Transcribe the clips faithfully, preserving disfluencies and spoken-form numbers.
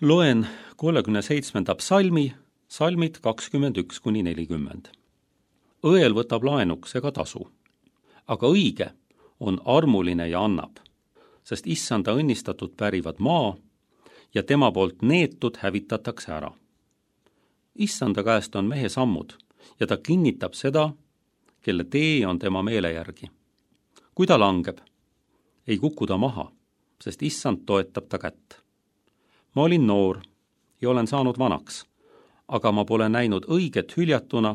Loen kolmekümne seitsmenda psalmi, salmid kakskümmend üks kuni nelikümmend. Õel võtab laenuks ega tasu, aga õige on armuline ja annab, sest issanda õnnistatud pärivad maa ja tema poolt neetud hävitatakse ära. Issanda käest on mehe sammud ja ta kinnitab seda, kelle tee on tema meele järgi. Kui ta langeb, ei kuku ta maha, sest issand toetab ta kätt. Ma olin noor ja olen saanud vanaks, aga ma pole näinud õiget hüljatuna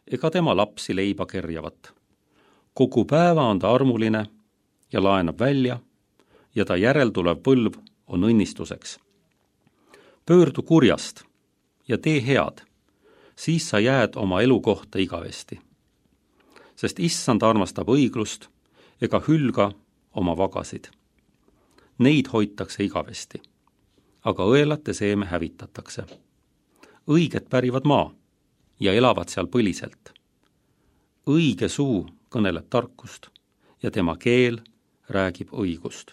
ega tema lapsi leiba kerjavat. Kogu päeva on ta armuline ja laenab välja ja ta järeltulev põlv on õnnistuseks. Pöördu kurjast ja tee head, siis sa jääd oma elukohta igavesti. Sest issand armastab õiglust ega hülga oma vagasid. Neid hoitakse igavesti, aga õelate seeme hävitatakse. Õiged pärivad maa ja elavad seal põliselt. Õige suu kõneleb tarkust ja tema keel räägib õigust.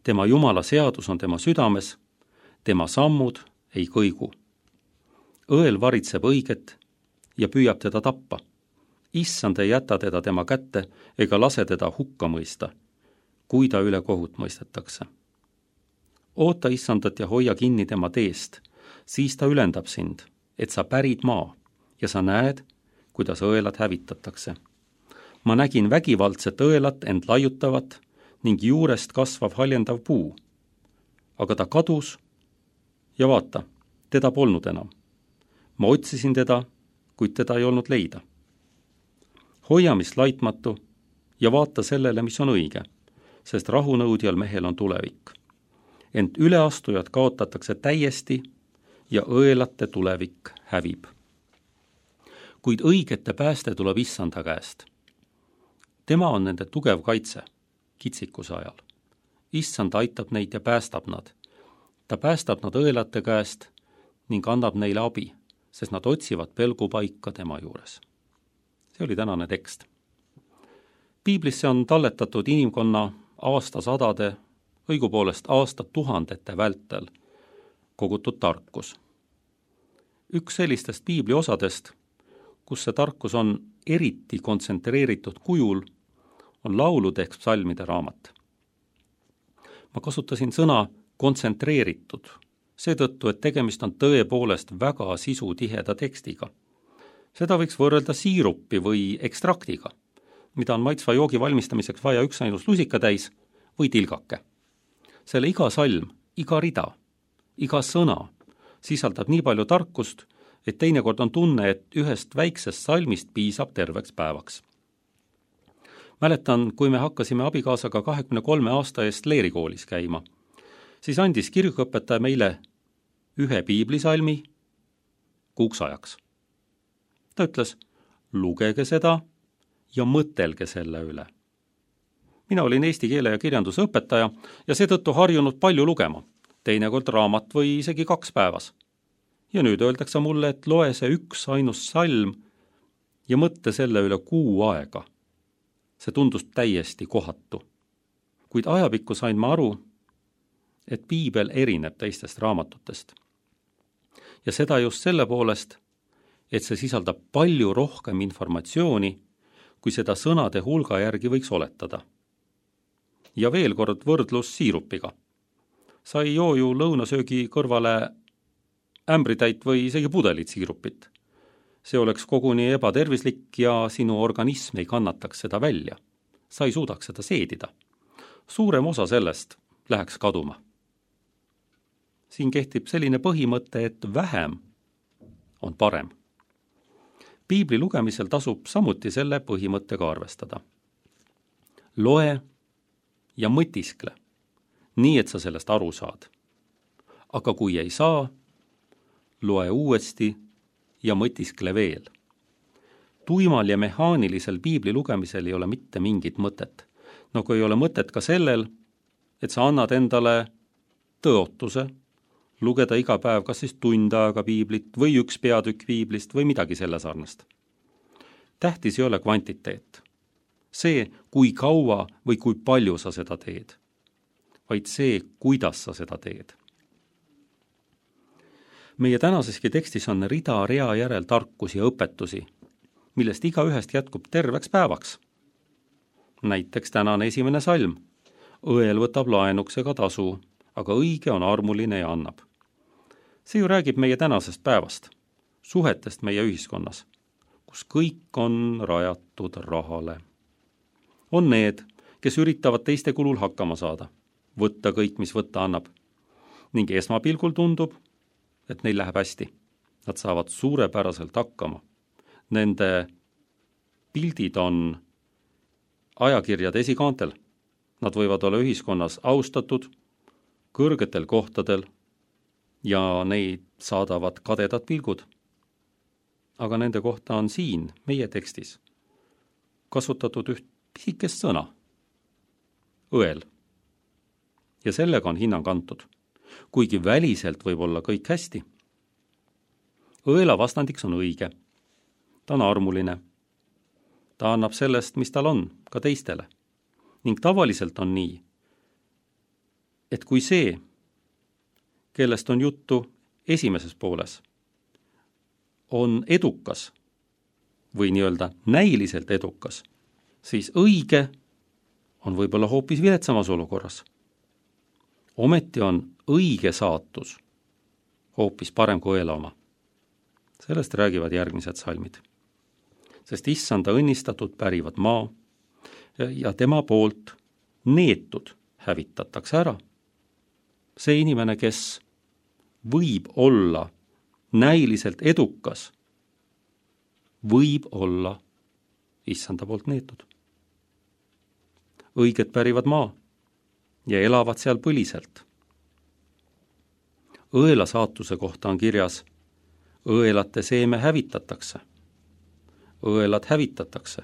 Tema Jumala seadus on tema südames, tema sammud ei kõigu. Õel varitseb õiget ja püüab teda tappa. Issand ei jäta teda tema kätte ega lase teda hukka mõista, kui ta üle kohut mõistetakse. Oota issandat ja hoia kinni tema teest, siis ta ülendab sind, et sa pärid maa ja sa näed, kuidas õelad hävitatakse. Ma nägin vägivaldset õelat end laiutavat ning juurest kasvav haljendav puu. Aga ta kadus ja vaata, teda polnud enam. Ma otsisin teda, kuid teda ei olnud leida. Hoia mis laitmatu ja vaata sellele, mis on õige, sest rahunõudjal mehel on tulevik. Ent üleastujad kaotatakse täiesti ja õelate tulevik hävib. Kuid õigete pääste tuleb issanda käest. Tema on nende tugev kaitse kitsikuse ajal. Issand aitab neid ja päästab nad. Ta päästab nad õelate käest ning annab neile abi, sest nad otsivad pelgupaika tema juures. See oli tänane tekst. Piiblisse on talletatud inimkonna aastasadade, õigupoolest aastatuhandete vältel kogutud tarkus. Üks sellistest piibli osadest, kus see tarkus on eriti kontsentreeritud kujul, on laulude ehk psalmide raamat. Ma kasutasin sõna kontsentreeritud, seetõttu, et tegemist on tõepoolest väga sisutiheda tekstiga. Seda võiks võrrelda siirupi või ekstraktiga, mida on maitsva joogi valmistamiseks vaja üksainus lusikatäis või tilgake. Selle iga salm, iga rida, iga sõna sisaldab nii palju tarkust, et teinekord on tunne, et ühest väiksest salmist piisab terveks päevaks. Mäletan, kui me hakkasime abikaasaga kahekümne kolme aasta eest leerikoolis käima, siis andis kirikuõpetaja meile ühe piiblisalmi kuuks ajaks. Ta ütles, lugege seda ja mõtelge selle üle. Mina olin eesti keele ja kirjanduse õpetaja ja seetõttu harjunud palju lugema, teinekord raamat või isegi kaks päevas. Ja nüüd öeldakse mulle, et loe see üks ainus salm ja mõtle selle üle kuu aega. See tundus täiesti kohatu. Kuid ajapikku sain ma aru, et piibel erineb teistest raamatutest. Ja seda just selle poolest, et see sisaldab palju rohkem informatsiooni, kui seda sõnade hulga järgi võiks oletada. Ja veel kord võrdlus siirupiga. Sa ei joo ju lõunasöögi kõrvale ämbritäit või isegi pudelit siirupit. See oleks koguni ebatervislik ja sinu organism ei kannataks seda välja. Sa ei suudaks seda seedida. Suurem osa sellest läheks kaduma. Siin kehtib selline põhimõte, et vähem on parem. Piibli lugemisel tasub samuti selle põhimõttega arvestada. Loe ja mõtiskle, nii et sa sellest aru saad. Aga kui ei saa, loe uuesti ja mõtiskle veel. Tuimal ja mehaanilisel piibli lugemisel ei ole mitte mingit mõtet. Nagu ei ole mõtet ka sellel, et sa annad endale tõotuse, lugeda iga päev kas siis tund aega piiblit või üks peatükk piiblist või midagi selle sarnast. Tähtis ei ole kvantiteet. See, kui kaua või kui palju sa seda teed, vaid see, kuidas sa seda teed. meie tänaseski tekstis on rida rea järel tarkusi ja õpetusi, millest igaühest jätkub terveks päevaks. Näiteks tänane esimene salm. Õel võtab laenuks ega tasu, aga õige on armuline ja annab. See ju räägib meie tänasest päevast, suhetest meie ühiskonnas, kus kõik on rajatud rahale. On need, kes üritavad teiste kulul hakkama saada, võtta kõik, mis võtta annab, ning esmapilgul tundub, et neil läheb hästi. Nad saavad suurepäraselt hakkama. Nende pildid on ajakirjade esikaantel. Nad võivad olla ühiskonnas austatud, kõrgetel kohtadel ja neid saadavad kadedad pilgud. Aga nende kohta on siin, meie tekstis, kasutatud üht pisikest sõna. Õel. Ja sellega on hinnang antud, kuigi väliselt võib olla kõik hästi. Õela vastandiks on õige. Ta on armuline. Ta annab sellest, mis tal on, ka teistele. Ning tavaliselt on nii, et kui see, kellest on juttu esimeses pooles, on edukas või nii-öelda näiliselt edukas, siis õige on võib-olla hoopis viletsamas olukorras. Ometi on õige saatus hoopis parem kui õela oma. Sellest räägivad järgmised salmid. Sest issanda õnnistatud pärivad maa ja tema poolt neetud hävitatakse ära. See inimene, kes võib olla näiliselt edukas, võib olla issanda poolt neetud. Õiged pärivad maa ja elavad seal põliselt. Õela saatuse kohta on kirjas, õelate seeme hävitatakse, õelad hävitatakse,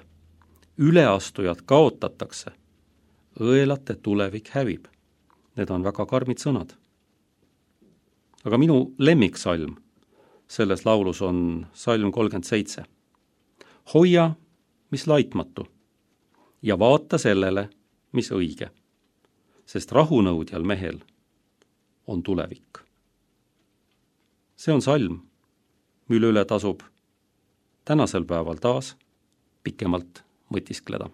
üleastujad kaotatakse, õelate tulevik hävib. Need on väga karmid sõnad. Aga minu lemmiksalm selles laulus on salm kolmkümmend seitse. Hoia, mis laitmatu, ja vaata sellele, mis õige, sest rahunõudjal mehel on tulevik. See on salm, mille üle tasub tänasel päeval taas pikemalt mõtiskleda.